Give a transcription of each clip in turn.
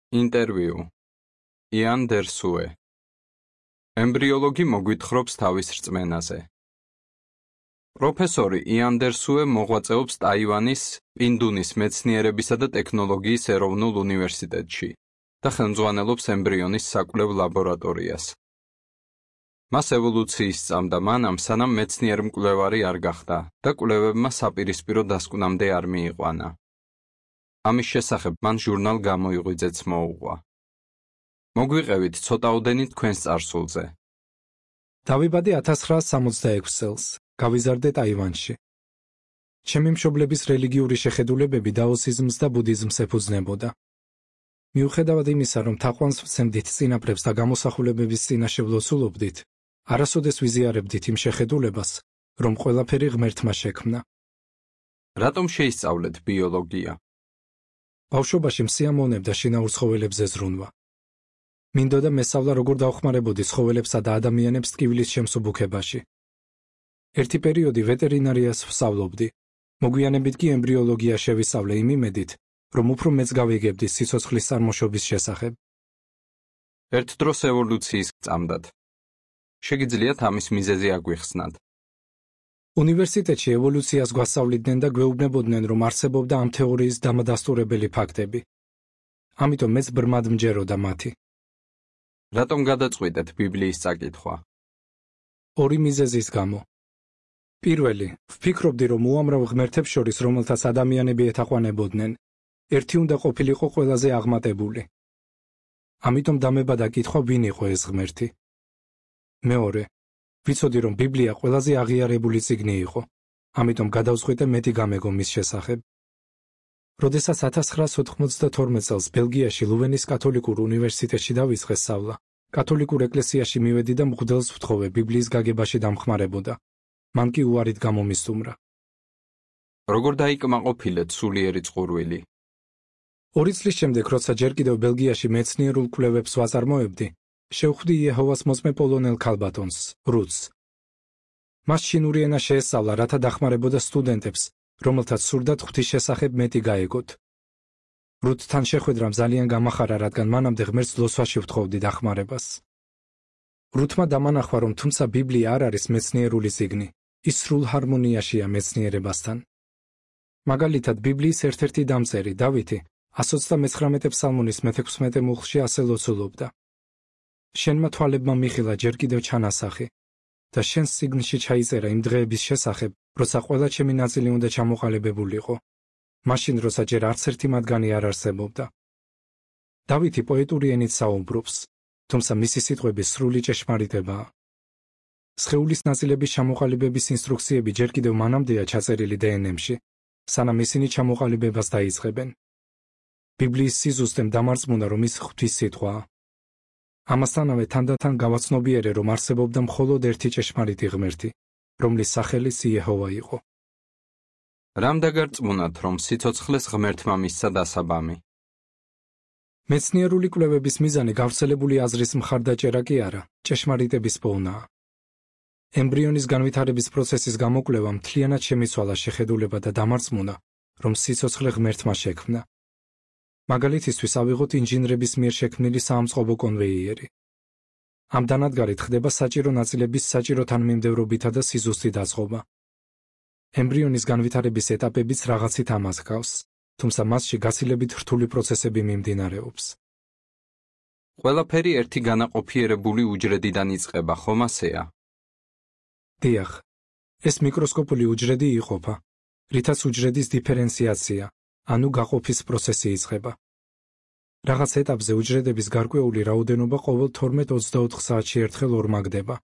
ინტერვიუ. იან დერსუე. ემბრიოლოგი მოგვითხრობს თავის რწმენაზე. პროფესორი იან დერსუე მოღვაწეობს ტაივანის პინდუნის მეცნიერებისა და ტექნოლოგიის ეროვნულ უნივერსიტეტში და ხელმძღვანელობს ემბრიონის საკვლევ ლაბორატორიას. მას ევოლუციის სწამდა მანამ, სანამ მეცნიერ-მკვლევარი არ გახდა და კვლევებმა საპირისპირო დასკვნამდე არ მიიყვანა. ამის შესახებ მან ჟურნალ გამოიღვიძეც მოუღვა. მოგვიყევით ცოტაოდენი თქვენს წარსულზე. დავიბადე 1966 წელს, გავიზარდე ტაივანში. ჩემი მშობლების რელიგიური შეხედულებები დაოსიზმს და ბუდიზმს ეფუძნებოდა. მიუხედავად იმისა, რომ თაყვანს ვცემდით წინაპრებს და გამოსახულებების წინაშე ვლოცულობდით, არასოდეს ვიზიარებდით იმ შეხედულებას, რომ ყველაფერი ღმერთმა შექმნა. რატომ შეისწავლეთ ბიოლოგია? ბავშვობაში მსიამოვნებდა შინაურ ცხოველებზე ზრუნვა. მინდოდა მესწავლა როგორ დავხმარებოდი ცხოველებსა და ადამიანებს ტკივილის შემსუბუქებაში. ერთი პერიოდი ვეტერინარიას ვსწავლობდი. მოგვიანებით კი ემბრიოლოგია შევისწავლე იმ იმედით, რომ უფრო მეც გავიგებდი სიცოცხლის წარმოშობის შესახებ. ერთ დროს ევოლუციის გწამდათ. შეგიძლიათ ამის მიზეზი აგვიხსნათ? უნივერსიტეტში ევოლუციას გვასწავლიდნენ და გვეუბნებოდნენ, რომ არსებობდა ამ თეორიის დამადასტურებელი ფაქტები. ამიტომ მეც ბრმად მჯეროდა მათი. რატომ გადაწყვიტეთ ბიბლიის წაკითხვა? ორი მიზეზის გამო. პირველი, ვფიქრობდი, რომ უამრავ ღმერთებს შორის, რომელთაც ადამიანები ეთაყვანებოდნენ, ერთი უნდა ყოფილიყო ყველაზე აღმატებული. ამიტომ დამებადა კითხვა, ვინ იყო ეს ღმერთი. მეორე, ვიცოდი, რომ ბიბლია ყველაზე აღიარებული წიგნი იყო, ამიტომ გადავწყვიტე მეტი გამეგო მის შესახებ. როდესაც 1992 წელს ბელგიაში ლუვენის კათოლიკურ უნივერსიტეტში დავიწყე სწავლა, კათოლიკურ ეკლესიაში მივედი და მღვდელს ვთხოვე ბიბლიის გაგებაში დამხმარებოდა. მან კი უარით გამომისტუმრა. როგორ დაიკმაყოფილეთ სულიერი წყურვილი? 2 წლის შემდეგ, როცა ჯერ კიდევ ბელგიაში მეცნიერულ კვლევებს ვაწარმოებდი, შევხვდი იეჰოვას მოწმე პოლონელ ქალბატონს, რუთს. მას ჩინური ენა შეესწავლა, რათა დახმარებოდა სტუდენტებს, რომელთაც სურდათ ღვთის შესახებ მეტი გაეგოთ. რუთთან შეხვედრამ ძალიან გამახარა, რადგან მანამდე ღმერთს ლოცვაში ვთხოვდი დახმარებას. რუთმა დამანახვა, რომ თუმცა ბიბლია არ არის მეცნიერული წიგნი, ის სრულ ჰარმონიაშია მეცნიერებასთან. მაგალითად, ბიბლიის ერთ-ერთი დამწერი, დავითი, 129 ფსალმონის მე-16 მუხლში ასე ლოცულობდა. შენმა თვალებმა მიხილა ჯერ კიდევ ჩანასახი და შენს წიგნში ჩაიწერა იმ დღეების შესახებ, როცა ყველა ჩემი ნაწილი უნდა ჩამოყალიბებულიყო, მაშინ როცა ჯერ არც ერთი მათგანი არ არსებობდა. დავითი პოეტური ენით საუბრობს, თუმცა მისი სიტყვები სრული ჭეშმარიტებაა. სხეულის ნაწილების ჩამოყალიბების ინსტრუქციები ჯერ კიდევ მანამდეა ჩაწერილი დნმ-ში, სანამ ისინი ჩამოყალიბებას დაიწყებენ. ბიბლიის სიზუსტემ დამარწმუნა, რომ ის ღვთის სიტყვაა. ამასთანავე თანდათან გავაცნობიერე, რომ არსებობდა მხოლოდ ერთი ჭეშმარიტი ღმერთი, რომლის სახელიც იეჰოვა იყო. რამ დაგარწმუნათ, რომ სიცოცხლეს ღმერთმა მისცა დასაბამი? მეცნიერული კვლევების მიზანი გავრცელებული აზრის მხარდაჭერა კი არა, ჭეშმარიტების პოვნაა. ემბრიონის განვითარების პროცესის გამოკვლევამ მთლიანად შემიცვალა შეხედულება და დამარწმუნა, რომ სიცოცხლე ღმერთმა შექმნა. მაგალითისთვის ავიღოთ ინჟინრების მიერ შექმნილი საამწყობო კონვეიერი. ამ დანადგარით ხდება საჭირო ნაწილების საჭირო თანმიმდევრობითა და სიზუსტით აწყობა. ემბრიონის განვითარების ეტაპებიც რაღაცით ამას ჰგავს, თუმცა მასში გაცილებით რთული პროცესები მიმდინარეობს. ყველაფერი ერთი განაყოფიერებული უჯრედიდან იწყება, ხომ ასეა? დიახ, ეს მიკროსკოპული უჯრედი იყოფა, რითაც უჯრედის დიფერენციაცია, ანუ გაყოფის პროცესი იწყება. რაღაც ეტაპზე უჯრედების გარკვეული რაოდენობა ყოველ 12-24 საათში ერთხელ ორმაგდება.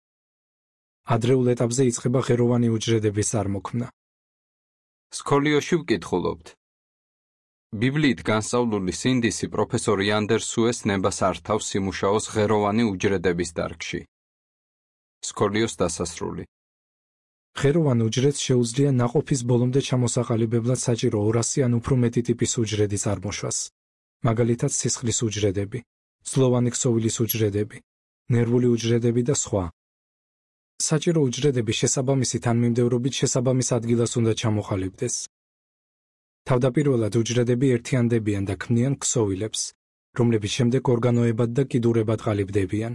ადრეულ ეტაპზე იწყება ღეროვანი უჯრედების წარმოქმნა. სკოლიოში ვკითხულობთ. ბიბლიით განსწავლული სინდისი პროფესორ იან დერსუეს ნებას ართავს სიმუშაოს ღეროვანი უჯრედების დარგში. სკოლიოს დასასრული. ღეროვან უჯრედს შეუძლია ნაყოფის ბოლომდე ჩამოსაყალიბებლად საჭირო 200 ან უფრო მეტი ტიპის უჯრედი წარმოშვას. მაგალითად სისხლის უჯრედები, ძლოვანი ქსოვილის უჯრედები, ნერვული უჯრედები და სხვა. საჭირო უჯრედები შესაბამისი თანმიმდევრობით შესაბამის ადგილას უნდა ჩამოყალიბდეს. თავდაპირველად უჯრედები ერთიანდებიან და ქმნიან ქსოვილებს, რომლებიც შემდეგ ორგანოებად და კიდურებად ყალიბდებიან.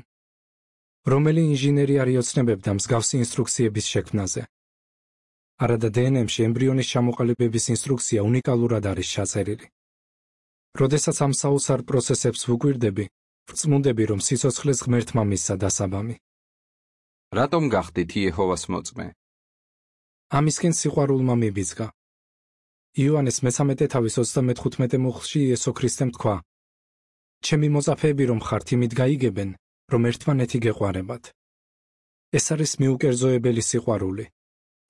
რომელი ინჟინერი არ იოცნებებდა მსგავსი ინსტრუქციების შექმნაზე. არადა დნმ-ში ემბრიონის ჩამოყალიბების ინსტრუქცია უნიკალურად არის ჩაწერილი. როდესაც ამ საოცარ პროცესებს ვუკვირდები, ვწმუნდები, რომ სიცოცხლეს ღმერთმა მისცა დასაბამი. რატომ გახდით იეჰოვას მოწმე? ამისკენ სიყვარულმა მიბიძგა. იოანეს მე-13 თავის 35 მუხლში იესო ქრისტემ თქვა: ჩემი მოწაფეები რომ ხართ, იმით გაიგებენ, რომ ერთმანეთი გეყვარებათ. ეს არის მიუკერძოებელი სიყვარული,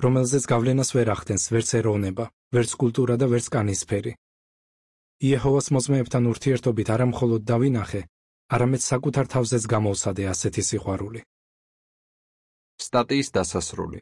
რომელზეც გავლენას ვერ ახდენს ვერც ეროვნება, ვერც კულტურა და ვერც კანისფერი. იეჰოვას მოწმეებთან ურთიერთობით არა მხოლოდ დავინახე, არამედ საკუთარ თავზეც გამოვსადე ასეთი სიყვარული. სტატიის დასასრული.